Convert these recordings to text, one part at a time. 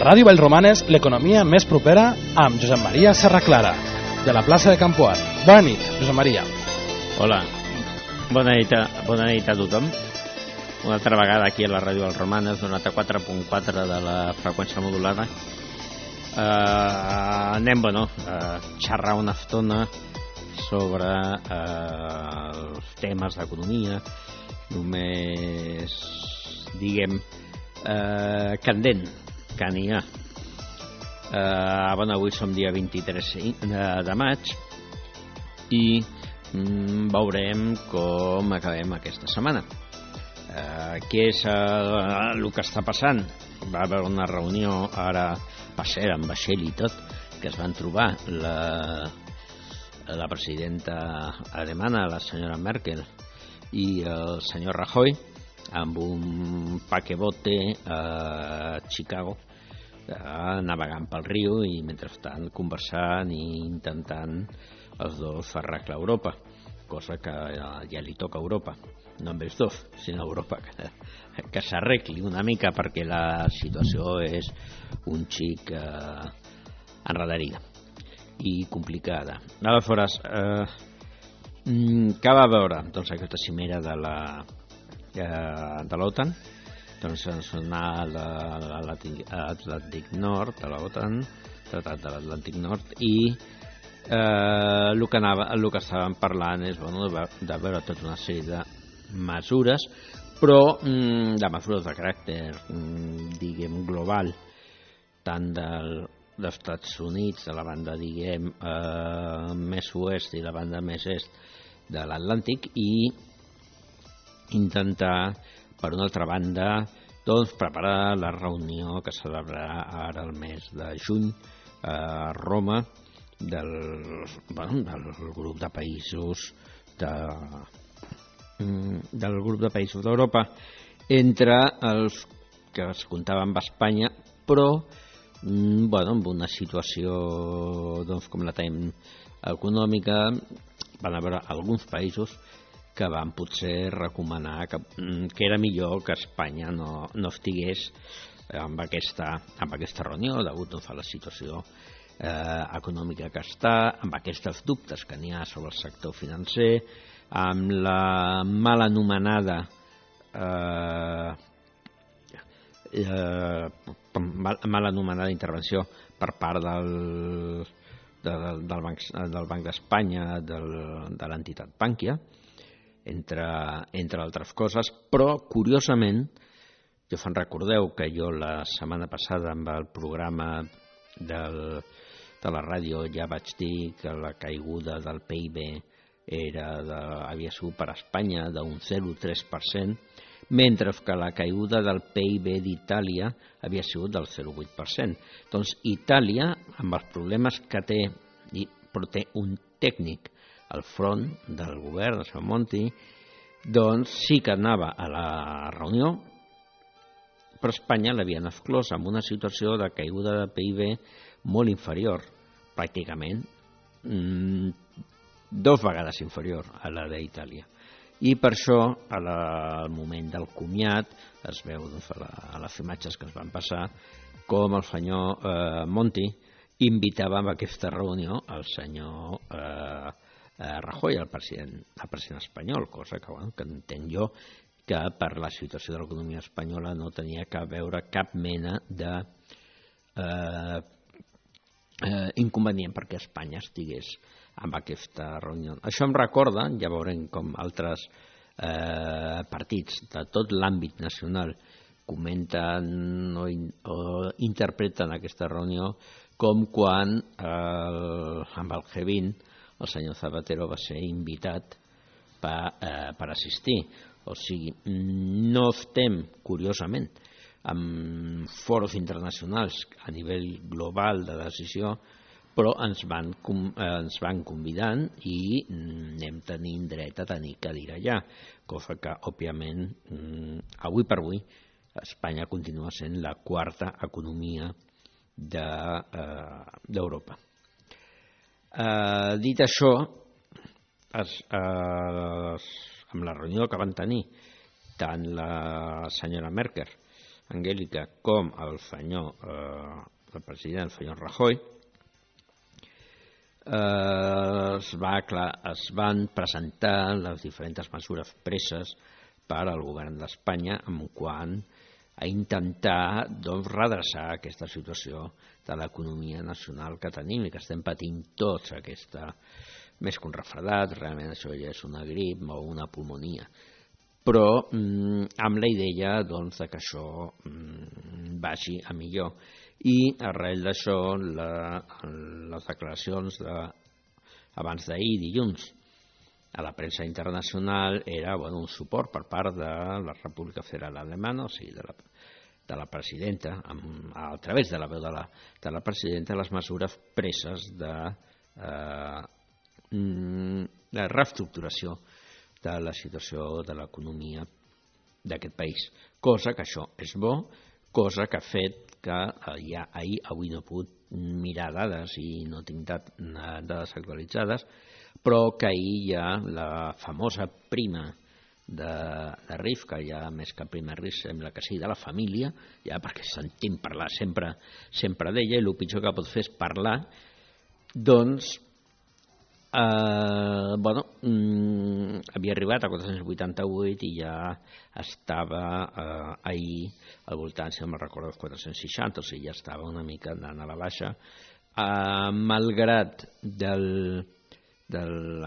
Ràdio Vallromanes, l'economia més propera amb Josep Maria Serraclara, de la plaça de Campoat. Bona nit, Josep Maria. Hola, bona nit a tothom. Una altra vegada aquí a la Ràdio Vallromanes, 94.4 de la freqüència modulada. Anem, a xerrar una estona sobre els temes d'economia, només, diguem, candent, que n'hi ha. Avui som dia 23 de maig i veurem com acabem aquesta setmana. Què és el que està passant? Va haver una reunió ara, va ser amb vaixell i tot, que es van trobar la presidenta alemana, la senyora Merkel, i el senyor Rajoy, amb un paquebote a Chicago, navegant pel riu i mentrestant conversant i intentant els dos arreglar Europa, cosa que ja li toca a Europa, no amb els dos, sinó a Europa, que s'arregli una mica, perquè la situació és un xic enredarida i complicada. Aleshores, què va veure? Doncs aquesta cimera de l'OTAN, doncs ens anar a l'Atlàntic Nord, de l'OTAN, Tratat de l'Atlàntic Nord, i el que estàvem parlant és de veure tota una sèrie de mesures, però de mesures de caràcter, diguem, global, tant dels Estats Units, de la banda, diguem, més oest i la banda més est de l'Atlàntic, i intentar, per una altra banda, doncs, preparar la reunió que celebrarà ara el mes de juny a Roma del grup de països del grup de països d'Europa, entre els que es comptava amb Espanya, però amb una situació, doncs, com la tenim econòmica, van haver alguns països que van potser recomanar que era millor que Espanya no estigués amb aquesta reunió, degut a la situació econòmica que està, amb aquests dubtes que n'hi ha sobre el sector financer, amb la mal anomenada intervenció per part del Banc d'Espanya, de l'entitat Bankia, entre altres coses. Però, curiosament, jo fan recordeu que jo la setmana passada amb el programa de la ràdio ja vaig dir que la caiguda del PIB havia sigut per a Espanya d'un 0,3%, mentre que la caiguda del PIB d'Itàlia havia sigut del 0,8%. Doncs Itàlia, amb els problemes que té, però té un tècnic al front del govern, el senyor Monti, doncs sí que anava a la reunió, però Espanya l'havien exclòs amb una situació de caiguda de PIB molt inferior, pràcticament 2 vegades inferior a la d'Itàlia. I per això, al moment del comiat, es veu a les imatges que es van passar com el senyor Monti invitava a aquesta reunió el senyor Rajoy, el president espanyol, cosa que entenc jo que per la situació de l'economia espanyola no tenia que veure cap mena de inconvenient perquè Espanya estigués amb aquesta reunió. Això em recorda, ja veurem com altres partits de tot l'àmbit nacional comenten o interpreten aquesta reunió, com quan amb el G20 el senyor Zapatero va ser invitat per assistir. O sigui, no estem, curiosament, en foros internacionals a nivell global de decisió, però ens van convidant i anem tenint dret a tenir cadira allà, cosa que, òbviament, avui per avui, Espanya continua sent la quarta economia d'Europa. Dit això, amb la reunió que van tenir tant la senyora Merkel Angélica com el president, el senyor Rajoy, es van presentar les diferents mesures preses per al govern d'Espanya en quant a intentar redreçar aquesta situació de l'economia nacional que tenim i que estem patint tots, aquesta, més que un refredat, realment això ja és una grip o una pulmonia, però amb la idea de que això vagi a millor. I arrel d'això les declaracions abans d'ahir, dilluns, a la premsa internacional era un suport per part de la República Federal Alemana, o sigui, de la presidenta, a través de la veu de la presidenta, les mesures preses de reestructuració de la situació de l'economia d'aquest país. Cosa que això és bo, cosa que ha fet que ja avui no he pogut mirar dades i no tinc dades actualitzades, però que ahir ja la famosa prima de RIF, que ja més que prima RIF sembla que sigui de la família, ja perquè sentim parlar sempre d'ella, i el pitjor que pot fer és parlar, doncs havia arribat a 488 i ja estava ahir al voltant, si no me'n recordo, dels 460, o sigui, ja estava una mica anant a la baixa, malgrat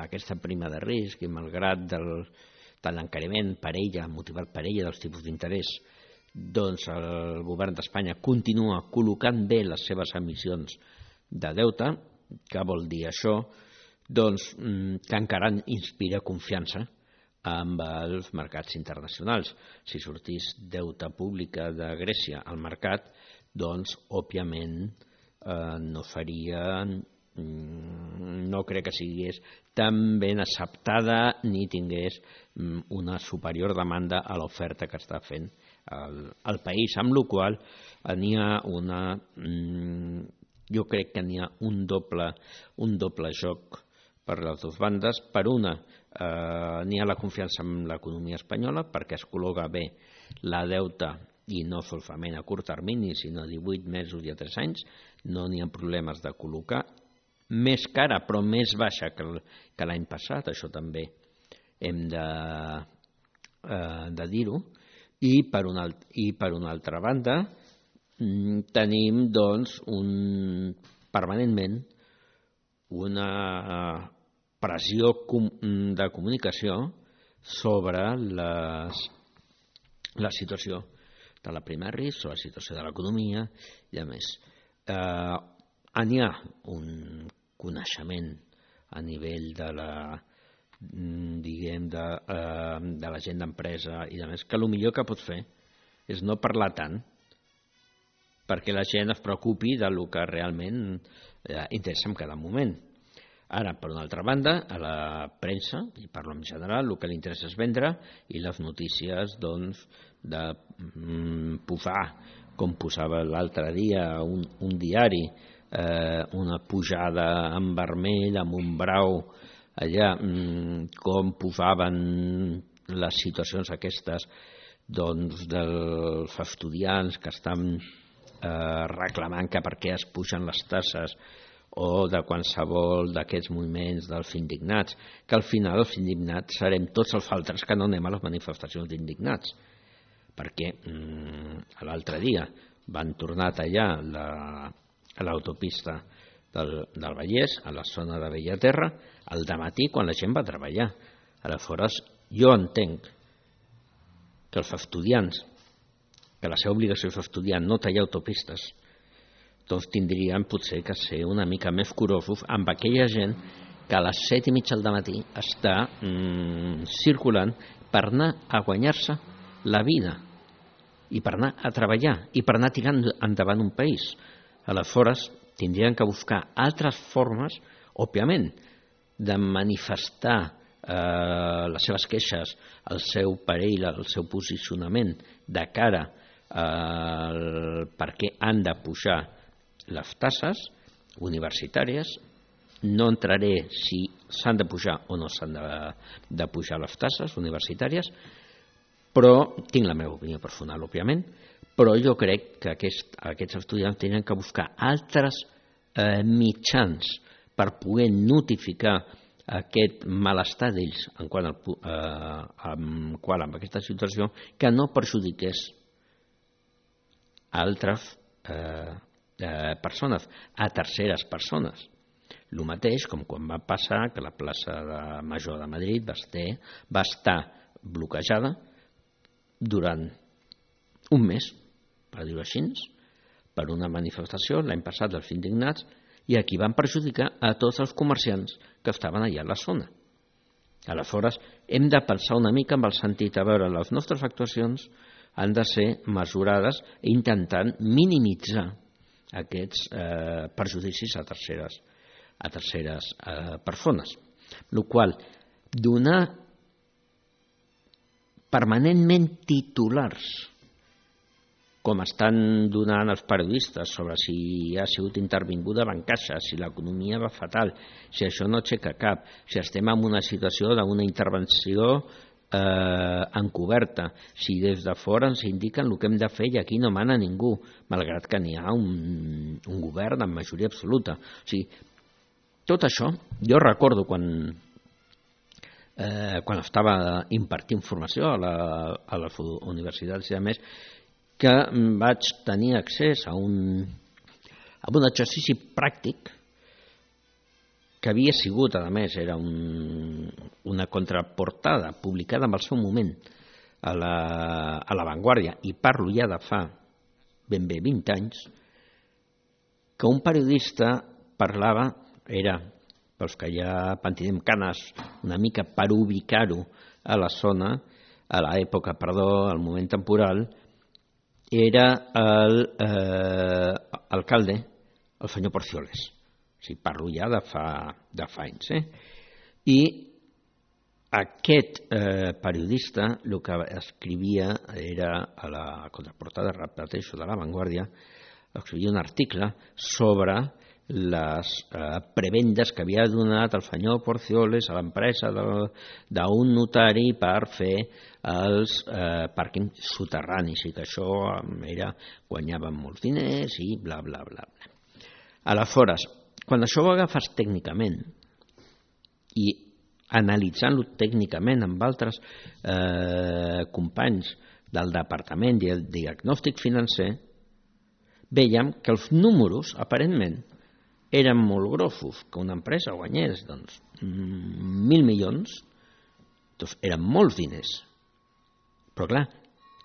aquesta prima de risc i malgrat de l'encariment per ella, motivat per ella dels tipus d'interès, doncs el govern d'Espanya continua col·locant bé les seves emissions de deute. Què vol dir això? Doncs que encara inspira confiança amb els mercats internacionals. Si sortís deute pública de Grècia al mercat, doncs òbviament no crec que sigués tan ben acceptada ni tingués una superior demanda a l'oferta que està fent el país, amb la qual n'hi ha jo crec que n'hi ha un doble joc per les dues bandes. Per una, n'hi ha la confiança en l'economia espanyola perquè es col·loca bé la deute i no solament a curt termini, sinó a 18 mesos i a 3 anys, no n'hi ha problemes de col·locar, més cara però més baixa que l'any passat, això també hem de dir-ho, i per una altra banda tenim doncs permanentment una pressió de comunicació sobre la situació de la prima de risc, sobre la situació de l'economia i a més. N'hi ha un coneixement a nivell de la gent d'empresa i de més, que el millor que pot fer és no parlar tant perquè la gent es preocupi del que realment interessa en cada moment. Ara, per una altra banda, a la premsa, i parlo en general, el que li interessa és vendre i les notícies doncs, de posar, com posava l'altre dia un diari, una pujada en vermell, amb un brau, allà, com posaven les situacions aquestes doncs, dels estudiants que estan reclamant que per què es pugen les tasses o de qualsevol d'aquests moviments dels indignats, que al final els indignats serem tots els altres que no anem a les manifestacions d'indignats, perquè l'altre dia van tornar a tallar a l'autopista del Vallès, a la zona de Bellaterra, al dematí quan la gent va treballar. Aleshores, jo entenc que els estudiants, que la seva obligació és estudiar, no tallar autopistes, doncs tindrien potser que ser una mica més curosos amb aquella gent que a les 7:30 del matí està circulant per anar a guanyar-se la vida i per anar a treballar i per anar tirant endavant un país. Aleshores, tindrien que buscar altres formes, òbviament, de manifestar les seves queixes, el seu parell, el seu posicionament de cara per què han de pujar les taxes universitàries. No entraré si s'han de pujar o no s'han de pujar les taxes universitàries, però tinc la meva opinió personal, òbviament, però jo crec que aquests estudiants tenen que buscar altres mitjans per poder notificar aquest malestar d'ells en quant a aquesta situació, que no perjudiqués a altres persones, a terceres persones. El mateix com quan va passar que la plaça Major de Madrid va estar bloquejada durant un mes, per dir-ho així, per una manifestació l'any passat dels indignats, i aquí van perjudicar a tots els comerciants que estaven allà a la zona. Aleshores, hem de pensar una mica amb el sentit, a veure, les nostres actuacions han de ser mesurades intentant minimitzar aquests perjudicis a terceres persones. El qual, donar permanentment titulars, com estan donant els periodistes sobre si ha sigut intervinguda Bancaixa, si l'economia va fatal, si això no aixeca cap, si estem en una situació d'una intervenció encoberta, si des de fora ens indiquen el que hem de fer i aquí no mana ningú, malgrat que n'hi ha un govern amb majoria absoluta. O sigui, tot això, jo recordo quan estava impartint formació a les universitats i a més, que vaig tenir accés a un exercici pràctic que havia sigut, a més, era una contraportada publicada en el seu moment a La Vanguardia, i parlo ja de fa ben bé 20 anys, que un periodista parlava, era, pels que ja pentinem canes, una mica per ubicar-ho a la zona, a l'època, al moment temporal, era l'alcalde, el senyor Porcioles. O sigui, parlo ja de fa anys. I aquest periodista el que escrivia era, a la contraportada, repeteixo, de La Vanguardia, escrivia un article sobre les prebendes que havia donat el senyor Porcioles a l'empresa d'un notari per fer els pàrquings soterranis, i que això guanyaven molts diners i bla, bla, bla. Aleshores, quan això ho agafes tècnicament i analitzant-lo tècnicament amb altres companys del departament del diagnòstic financer, veiem que els números, aparentment, eren molt grossos. Que una empresa guanyés 1.000 milions, doncs eren molts diners. Però clar,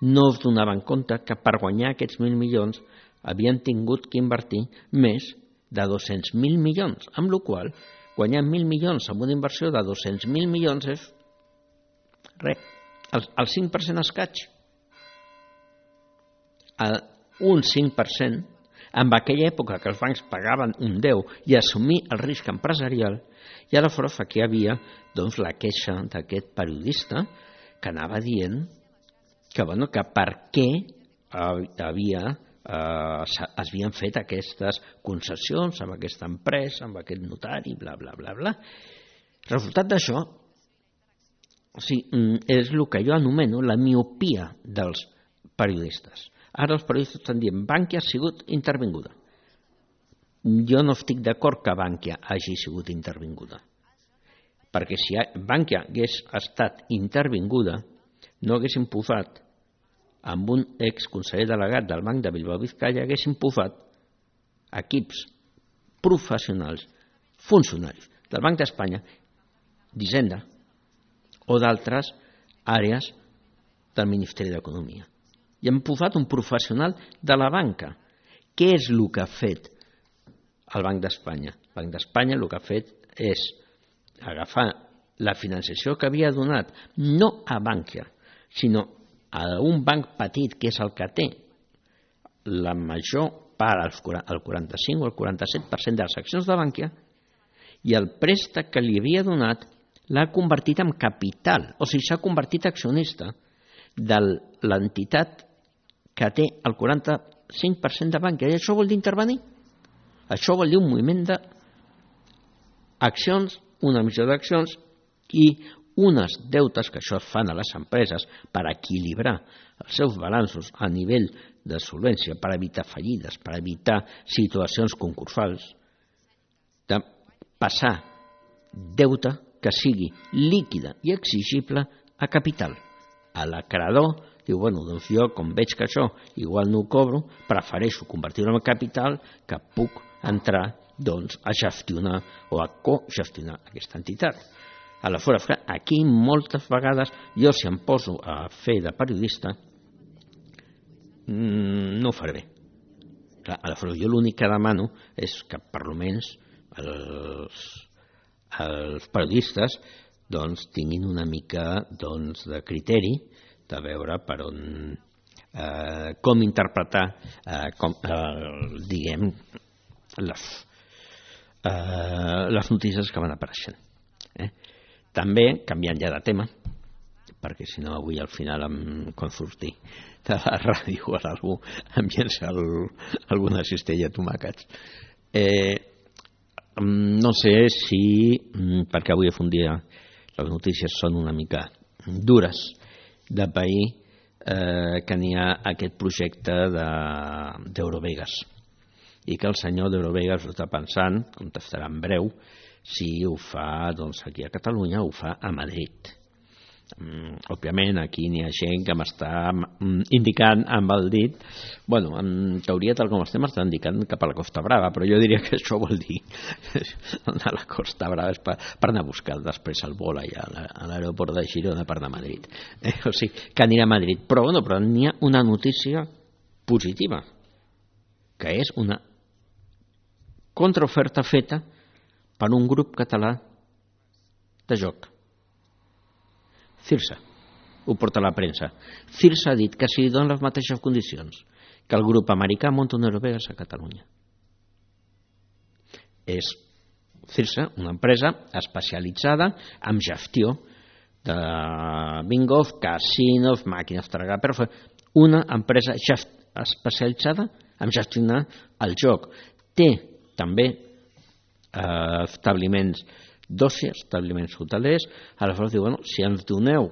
no es donaven compte que per guanyar aquests 1.000 milions havien tingut que invertir més de 200.000 milions, amb la qual cosa guanyar 1.000 milions amb una inversió de 200.000 milions és res, el 5% escaig. Un 5%, en aquella època que els bancs pagaven un 10 i assumir el risc empresarial, i aleshores aquí hi havia la queixa d'aquest periodista que anava dient que per què es havien fet aquestes concessions amb aquesta empresa, amb aquest notari, bla, bla, bla, bla. Resultat d'això és el que jo anomeno la miopia dels periodistes. Ara els periodistes estan dient Bankia ha sigut intervinguda. Jo no estic d'acord que Bankia hagi sigut intervinguda, perquè si Bankia hagués estat intervinguda no haguessin posat amb un exconseller delegat del Banc de Bilbao Vizcaya, haguessin posat equips professionals, funcionaris del Banc d'Espanya, d'Hisenda o d'altres àrees del Ministeri d'Economia. I hem posat un professional de la banca. Què és el que ha fet el Banc d'Espanya? El Banc d'Espanya el que ha fet és agafar la financiació que havia donat no a Bankia, sinó a un banc petit, que és el que té la major part, el 45 o el 47% de les accions de Bankia, i el préstec que li havia donat l'ha convertit en capital, o sigui, s'ha convertit accionista de l'entitat que té el 45% de Bankia. I això vol dir intervenir. Això vol dir un moviment d'accions, una emissió d'accions i unes deutes, que això es fan a les empreses per equilibrar els seus balanços a nivell de solvència, per evitar fallides, per evitar situacions concursals, de passar deute que sigui líquida i exigible a capital. A l'acreedor diu, bueno, doncs jo, com veig que això igual no ho cobro, prefereixo convertir-ho en capital que puc entrar doncs, a gestionar o a cogestionar aquesta entitat. Aleshores, aquí moltes vegades jo, si em poso a fer de periodista, no ho faré bé. Aleshores, jo l'únic que demano és que per almenys els periodistes doncs, tinguin una mica doncs, de criteri de veure per on com interpretar diguem les notícies que van apareixent. També, canviant ja de tema, perquè si no avui al final quan surti de la ràdio o algú em llença alguna cistella de tomàquets. No sé si, perquè avui és un dia, les notícies són una mica dures de pair, que n'hi ha aquest projecte d'Eurovegas i que el senyor d'Eurovegas ho està pensant, contestarà en breu, si ho fa doncs, aquí a Catalunya o ho fa a Madrid. Òbviament aquí n'hi ha gent que m'està indicant amb el dit, bueno, en teoria tal com estem està indicant cap a la Costa Brava, però jo diria que això vol dir anar a la Costa Brava és per anar a buscar després el vol allà a l'aeroport de Girona per anar a Madrid, o sigui que anirà a Madrid, però n'hi ha una notícia positiva, que és una contraoferta feta per un grup català de joc. Cirsa, ho porta a la premsa. Cirsa ha dit que si li donen les mateixes condicions que el grup americà munta un Eurovegas a Catalunya. És Cirsa, una empresa especialitzada en gestió de bingos, casinos, màquines tragar, però una empresa especialitzada en gestionar el joc. Té també establiments d'oci, establiments hotelers. Aleshores diu, bueno, si ens doneu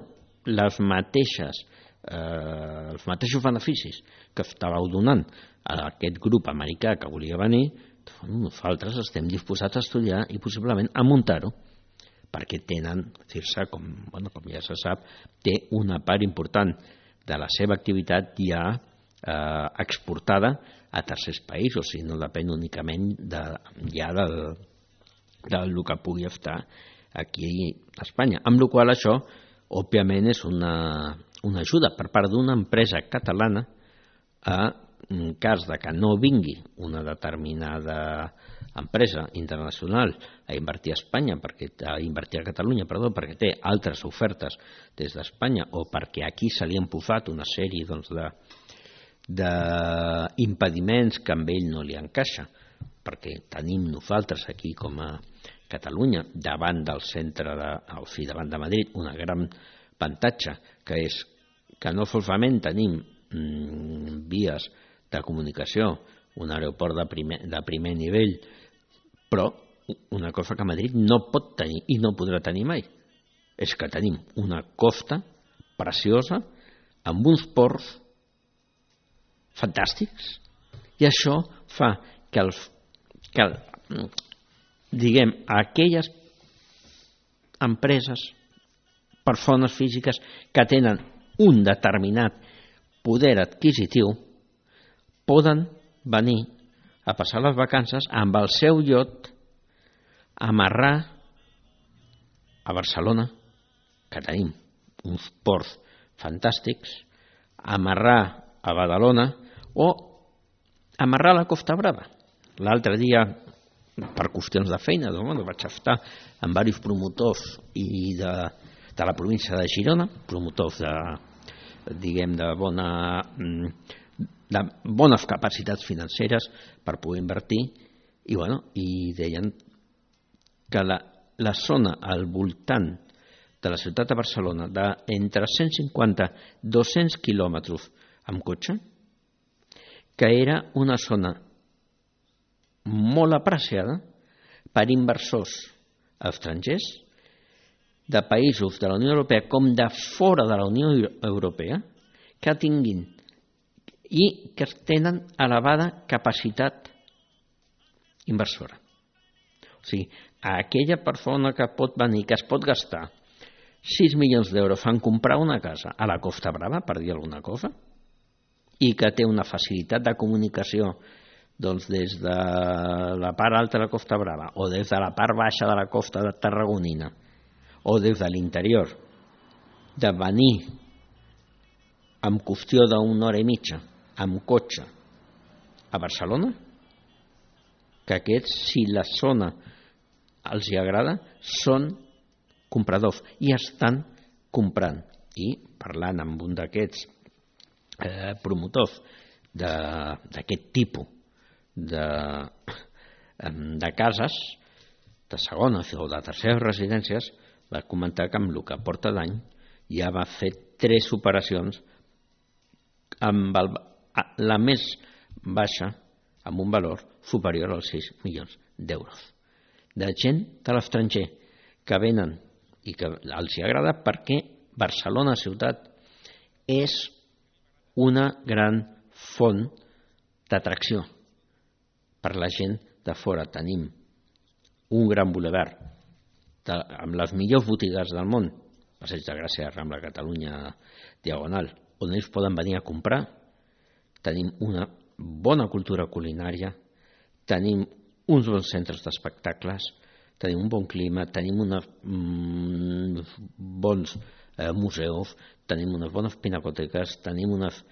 els mateixos beneficis que estàveu donant a aquest grup americà que volia venir, nosaltres estem disposats a estudiar i possiblement a muntar-ho, perquè tenen, Cirsa, com ja se sap, té una part important de la seva activitat ja exportada a tercers països, i no depèn únicament ja del que pugui estar aquí a Espanya. Amb la qual això, òbviament, és una ajuda per part d'una empresa catalana en cas de que no vingui una determinada empresa internacional a invertir a Espanya, a invertir a Catalunya, perquè té altres ofertes des d'Espanya o perquè aquí se li han posat una sèrie d'impediments que amb ell no li encaixa, perquè tenim nosaltres aquí com a Catalunya davant del centre davant de Madrid una gran avantatge, que és que no solament tenim vies de comunicació, un aeroport de primer nivell, però una cosa que Madrid no pot tenir i no podrà tenir mai és que tenim una costa preciosa amb uns ports fantàstics, i això fa que aquelles empreses, persones físiques que tenen un determinat poder adquisitiu poden venir a passar les vacances amb el seu iot, amarrar a Barcelona, que tenim uns ports fantàstics, amarrar a Badalona o amarrar a la Costa Brava. L'altre dia, per qüestions de feina, vaig estar amb diversos promotors i de la província de Girona, promotors de bones capacitats financeres per poder invertir, i deien que la zona al voltant de la ciutat de Barcelona d'entre 150 i 200 quilòmetres amb cotxe, que era una zona molt apreciada per inversors estrangers de països de la Unió Europea com de fora de la Unió Europea, que tinguin i que tenen elevada capacitat inversora. O sigui, aquella persona que pot venir, que es pot gastar 6 milions d'euros en comprar una casa a la Costa Brava, per dir alguna cosa, i que té una facilitat de comunicació doncs des de la part alta de la Costa Brava o des de la part baixa de la costa tarragonina o des de l'interior, de venir en qüestió d'una hora i mitja amb cotxe a Barcelona, que aquests, si la zona els hi agrada, són compradors i estan comprant. I parlant amb un d'aquests promotors d'aquest tipus de cases, de segones o de terceres residències, va comentar que amb el que porta d'any ja va fer 3 operacions amb la més baixa, amb un valor superior als 6 milions d'euros. De gent de l'estranger que venen i que els hi agrada perquè Barcelona ciutat és una gran font d'atracció per la gent de fora. Tenim un gran bulevard amb les millors botigues del món, Passeig de Gràcia, Rambla Catalunya, Diagonal, on ells poden venir a comprar. Tenim una bona cultura culinària, tenim uns bons centres d'espectacles, tenim un bon clima, tenim uns bons museus, tenim unes bones pinacoteques, tenim uns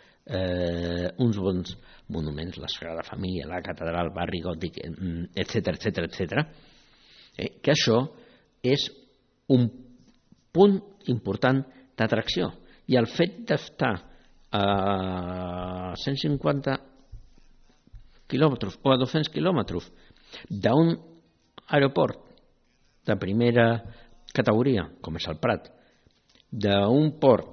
bons monuments, la Sagrada Família, la catedral, el barri gòtic, etc. Que això és un punt important d'atracció. I el fet d'estar a 150 quilòmetres o a 200 quilòmetres d'un aeroport de primera categoria, com és el Prat, d'un port,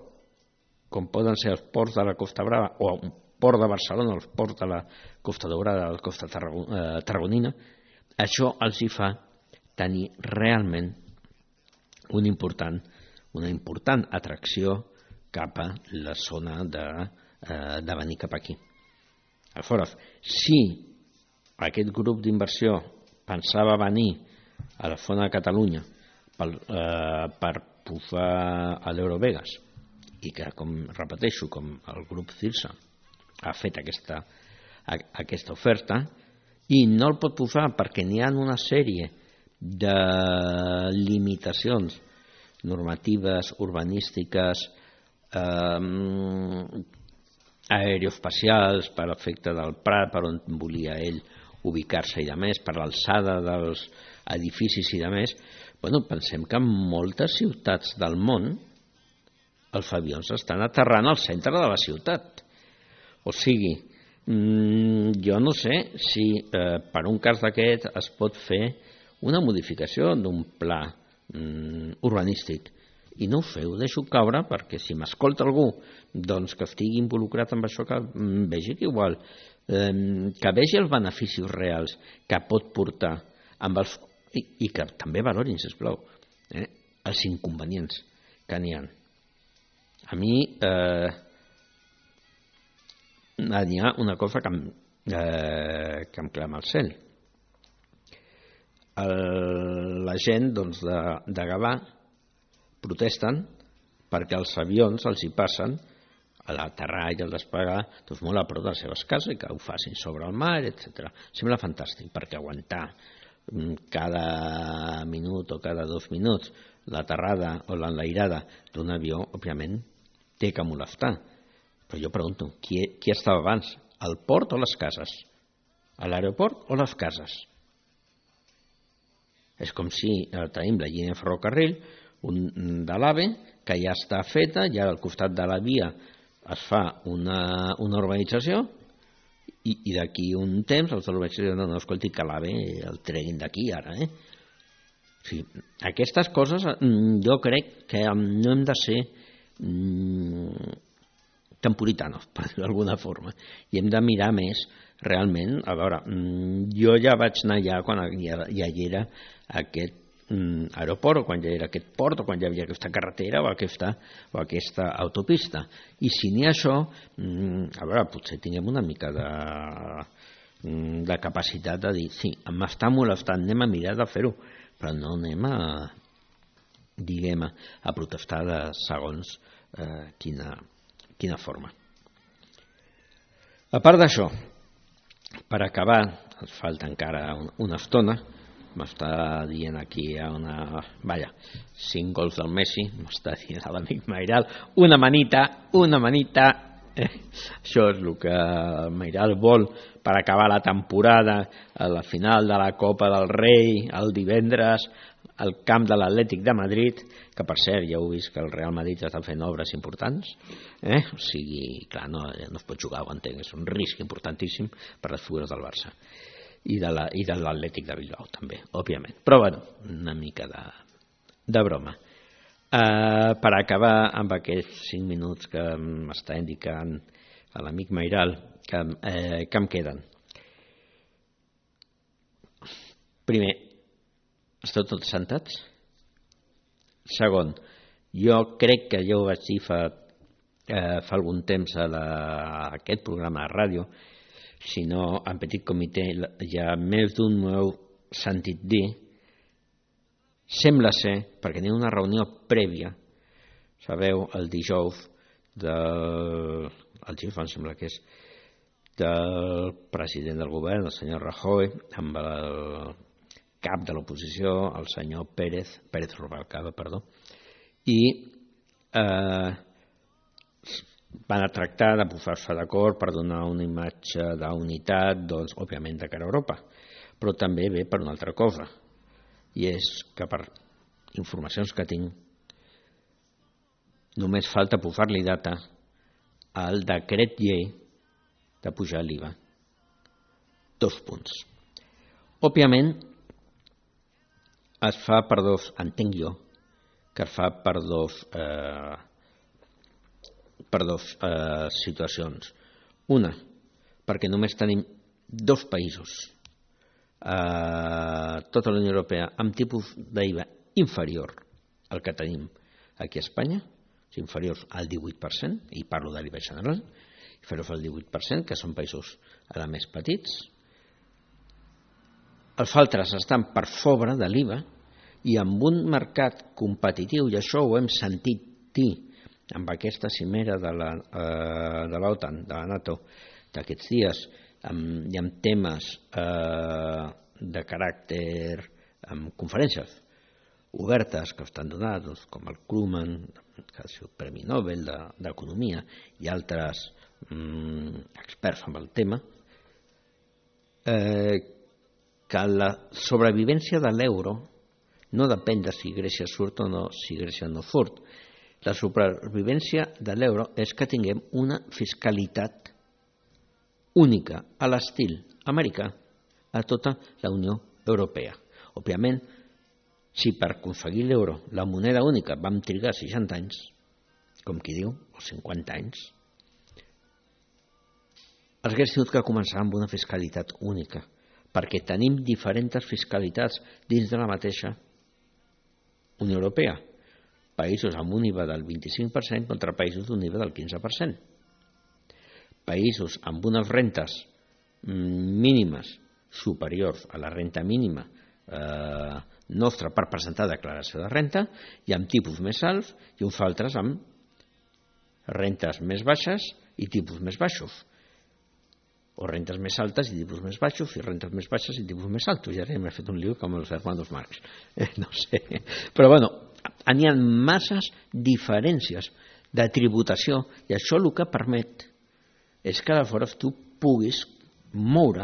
com poden ser els ports de la Costa Brava o un port de Barcelona, els ports de la Costa Daurada, de la Costa Tarragonina, això els hi fa tenir realment una important atracció cap a la zona de venir cap aquí. Aleshores, si aquest grup d'inversió pensava venir a la zona de Catalunya per posar a l'Eurovegas i que, com repeteixo, com el grup Cirsa ha fet aquesta oferta i no el pot posar perquè n'hi ha una sèrie de limitacions normatives, urbanístiques, aeroespacials per l'efecte del Prat, per on volia ell ubicar-se i de més, per l'alçada dels edificis i de més. Pensem que en moltes ciutats del món els avions estan aterrant al centre de la ciutat. O sigui, jo no sé si per un cas d'aquest es pot fer una modificació d'un pla urbanístic. I no ho feu, deixo caure, perquè si m'escolta algú que estigui involucrat en això, que vegi que igual, que vegi els beneficis reals que pot portar i que també valorin, sisplau, els inconvenients que n'hi ha. A mi n'hi ha una cosa que em clama al cel. La gent de Gavà protesten perquè els avions els hi passen a l'aterrar i al despegar molt a prop de les seves cases i que ho facin sobre el mar, etc. Sembla fantàstic, perquè aguantar cada minut o cada 2 minuts l'aterrada o l'enlairada d'un avió, òbviament, té que molestar. Però jo pregunto, qui estava abans? El port o les cases? A l'aeroport o les cases? És com si tenim la línia de ferrocarril de l'AVE, que ja està feta, ja al costat de la via es fa una urbanització i d'aquí un temps els de l'urbanització no, escolti, que l'AVE el treguin d'aquí ara. O sigui, aquestes coses jo crec que no hem de ser temporitanos, per dir-ho d'alguna forma, i hem de mirar més realment. A veure, jo ja vaig anar allà quan ja hi era aquest aeroport, o quan ja era aquest port, o quan ja havia aquesta carretera o aquesta autopista. I si n'hi ha això, a veure, potser tinguem una mica de capacitat de dir, sí, m'està molestant, anem a mirar de fer-ho, però no anem a protestar de segons quina forma. A part d'això, per acabar, ens falta encara una estona, m'està dient aquí 5 gols del Messi, m'està dient l'amic Mairal, una manita, això és el que el Mairal vol per acabar la temporada, a la final de la Copa del Rei, el divendres, al camp de l'Atlètic de Madrid, que per cert ja heu vist que el Real Madrid està fent obres importants, o sigui, clar, no es pot jugar, ho entenc, és un risc importantíssim per les figures del Barça i de l'Atlètic de Bilbao també, òbviament, però bueno, una mica de broma. Per acabar amb aquests 5 minuts que m'està indicant l'amic Mairal que em queden. Primer, esteu tots sentats? Segon, jo crec que ja ho vaig dir fa algun temps a aquest programa de ràdio, si no en petit comitè, ja més d'un m'ho heu sentit dir, sembla ser, perquè n'hi ha una reunió prèvia, sabeu, el dijous el dijous em sembla que és, del president del govern, el senyor Rajoy, amb el cap de l'oposició, el senyor Pérez Rubalcaba, i van a tractar de posar-se d'acord per donar una imatge d'unitat, doncs, òbviament, de cara a Europa, però també ve per una altra cosa, i és que per informacions que tinc només falta posar-li data al decret llei de pujar l'IVA. 2 punts. Òbviament, es fa per dos, entenc jo, que es fa per dos situacions. Una, perquè només tenim 2 països a tota la Unió Europea amb tipus d'IVA inferior al que tenim aquí a Espanya, inferiors al 18%, i parlo de l'IVA general, inferiors al 18%, que són països ara més petits. Els altres estan per sobre de l'IVA i amb un mercat competitiu, i això ho hem sentit dir amb aquesta cimera de l'OTAN, de la NATO, d'aquests dies, i amb temes de caràcter, amb conferències obertes que estan donades, com el Krugman, que ha sigut Premi Nobel d'Economia, i altres experts en el tema, que la sobrevivència de l'euro no depèn de si Grècia surt o no, si Grècia no surt. La supervivència de l'euro és que tinguem una fiscalitat única a l'estil americà a tota la Unió Europea. Òbviament, si per aconseguir l'euro, la moneda única, vam trigar 60 anys, com qui diu, o 50 anys, els hagués tingut que començar amb una fiscalitat única, perquè tenim diferents fiscalitats dins de la mateixa Unió Europea. Països amb un IVA del 25% contra països d'un IVA del 15%. Països amb unes rentes mínimes superiors a la renta mínima nostra per presentar declaració de renta, i amb tipus més alts, i uns altres amb rentes més baixes i tipus més baixos, o rentes més altes i tipus més baixos, i rentes més baixes i tipus més altos. Ja m'he fet un lío com els hermanos Marx, no sé, però bueno, n'hi ha masses diferències de tributació, i això el que permet és que aleshores tu puguis moure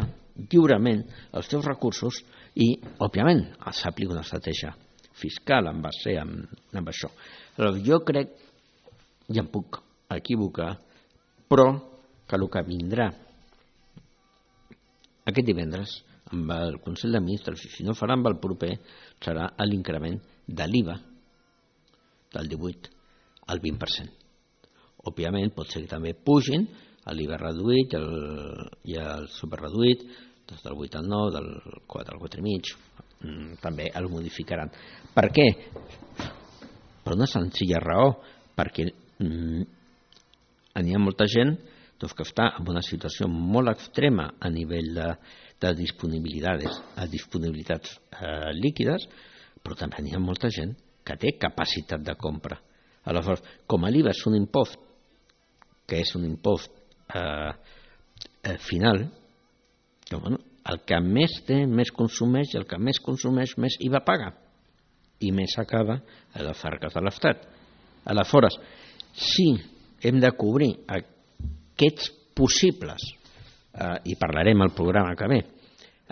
lliurement els teus recursos i, òbviament, s'aplica una estratègia fiscal en base amb això. Però jo crec, ja em puc equivocar, però que el que vindrà aquest divendres amb el Consell de Ministres, i si no farà amb el proper, serà l'increment de l'IVA del 18 al 20%. Òbviament, pot ser que també pugin l'IVA reduït i el superreduït, des del 8 al 9, del 4 al 4,5, també el modificaran. Per què? Per una senzilla raó, perquè n'hi ha molta gent que està en una situació molt extrema a nivell de disponibilitats líquides, però també n'hi ha molta gent que té capacitat de compra. Aleshores, com l'IVA és un impost, que és un impost final, el que més té, més consumeix, i el que més consumeix, més IVA paga, i més acaba a les arques de l'Estat. Aleshores, si hem de cobrir aquests possibles, i parlarem al programa que ve,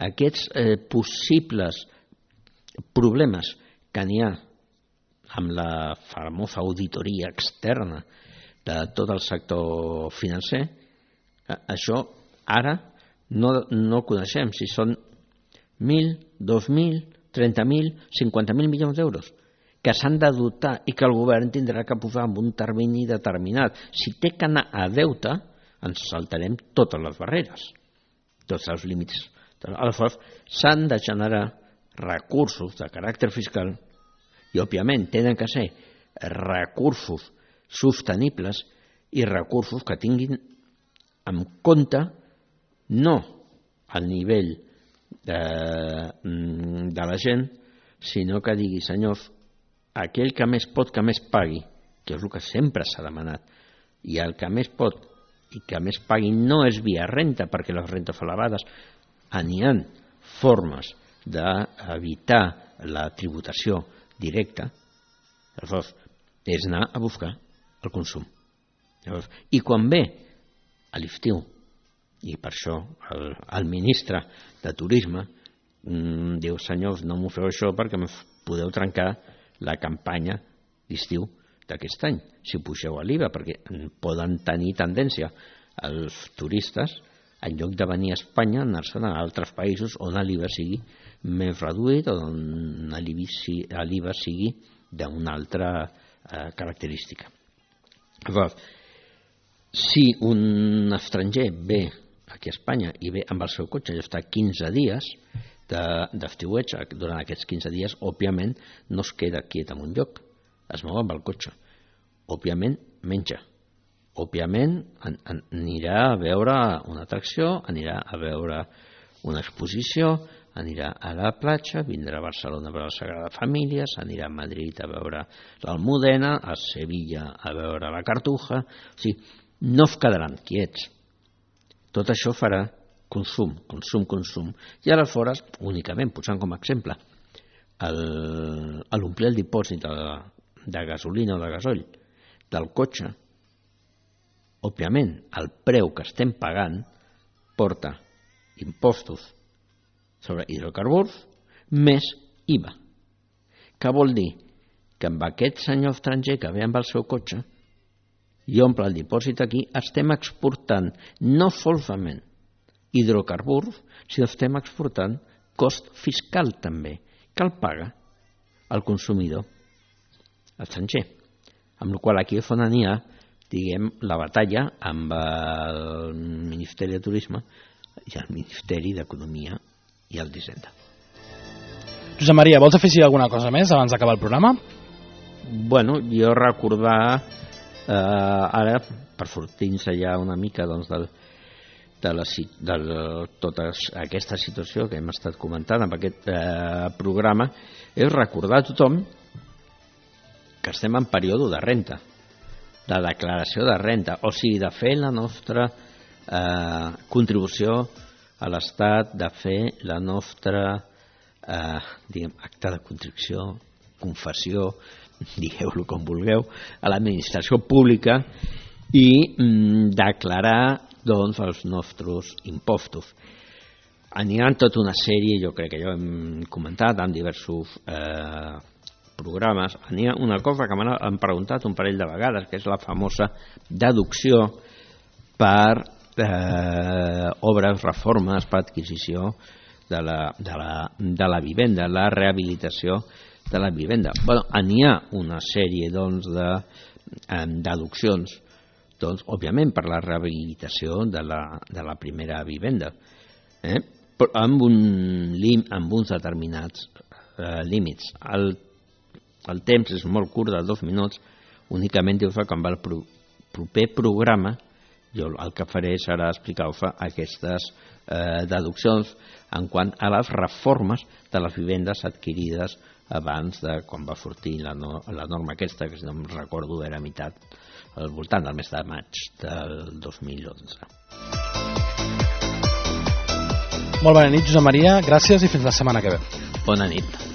aquests possibles problemes que n'hi ha amb la famosa auditoria externa de tot el sector financer, això ara no coneixem si són 1.000, 2.000, 30.000, 50.000 milions d'euros que s'han de dotar i que el govern tindrà que posar en un termini determinat. Si té que anar a deute, ens saltarem totes les barreres, tots els límits. Aleshores, s'han de generar recursos de caràcter fiscal i, òbviament, tenen que ser recursos sostenibles i recursos que tinguin en compte no al nivell de la gent, sinó que digui, senyors, aquell que més pot que més pagui, que és el que sempre s'ha demanat, i el que més pot i que més pagui no és via renta, perquè les rentes elevades n'hi ha formes d'evitar la tributació directa, aleshores és anar a buscar el consum. Llavors, i quan ve a l'estiu, i per això el ministre de Turisme diu, senyors, no m'ho feu això perquè em podeu trencar la campanya d'estiu d'aquest any, si pugeu a l'IVA, perquè poden tenir tendència els turistes, en lloc de venir a Espanya, anar-se'n a altres països on l'IVA sigui més reduït o on l'IVA sigui d'una altra característica. Llavors, si un estranger ve aquí a Espanya i ve amb el seu cotxe i està 15 dies d'estiueig, durant aquests 15 dies, òbviament, no es queda quiet en un lloc, es mou amb el cotxe. Òbviament, menja. Òbviament, anirà a veure una atracció, anirà a veure una exposició, anirà a la platja, vindrà a Barcelona a veure la Sagrada Família, s'anirà a Madrid a veure l'Almudena, a Sevilla a veure la Cartuja. O sigui, no es quedaran quiets. Tot això farà consum. I aleshores, únicament, posant com a exemple, a l'omplir el dipòsit de gasolina o de gasoll del cotxe, òbviament, el preu que estem pagant porta impostos sobre hidrocarburs més IVA. Què vol dir? Que amb aquest senyor estranger que ve amb el seu cotxe i omple el dipòsit aquí, estem exportant no solament hidrocarburs, sinó estem exportant cost fiscal també, que el paga el consumidor estranger. Amb la qual cosa aquí és on n'hi ha, diguem, la batalla amb el Ministeri de Turisme i el Ministeri d'Economia i el d'Hisenda. Josep Maria, vols afegir alguna cosa més abans d'acabar el programa? Bueno, jo recordar ara, per sortir-nos ja una mica doncs, de tota aquesta situació que hem estat comentant en aquest programa, és recordar a tothom que estem en període de renta, de declaració de renta, o sigui, de fer la nostra contribució a l'Estat, de fer la nostra acte de contribució, confessió, digueu-lo com vulgueu, a l'administració pública i declarar doncs, els nostres impostos. N'hi ha tota una sèrie, jo crec que ja ho hem comentat en diversos programes, n'hi ha una cosa que m'han preguntat un parell de vegades, que és la famosa deducció per obres, reformes, per adquisició de la vivenda, la rehabilitació de la vivenda. Bueno, n'hi ha una sèrie doncs, de deduccions, doncs, òbviament per la rehabilitació de la primera vivenda. amb uns determinats límits. El temps és molt curt, de 2 minuts, únicament diu-se quan va el proper programa. Jo el que faré serà explicar-vos aquestes deduccions en quant a les reformes de les vivendes adquirides abans de quan va sortir la norma aquesta, que si no em recordo era al voltant del mes de maig del 2011. Molt bona nit, Josep Maria, gràcies i fins la setmana que ve. Bona nit.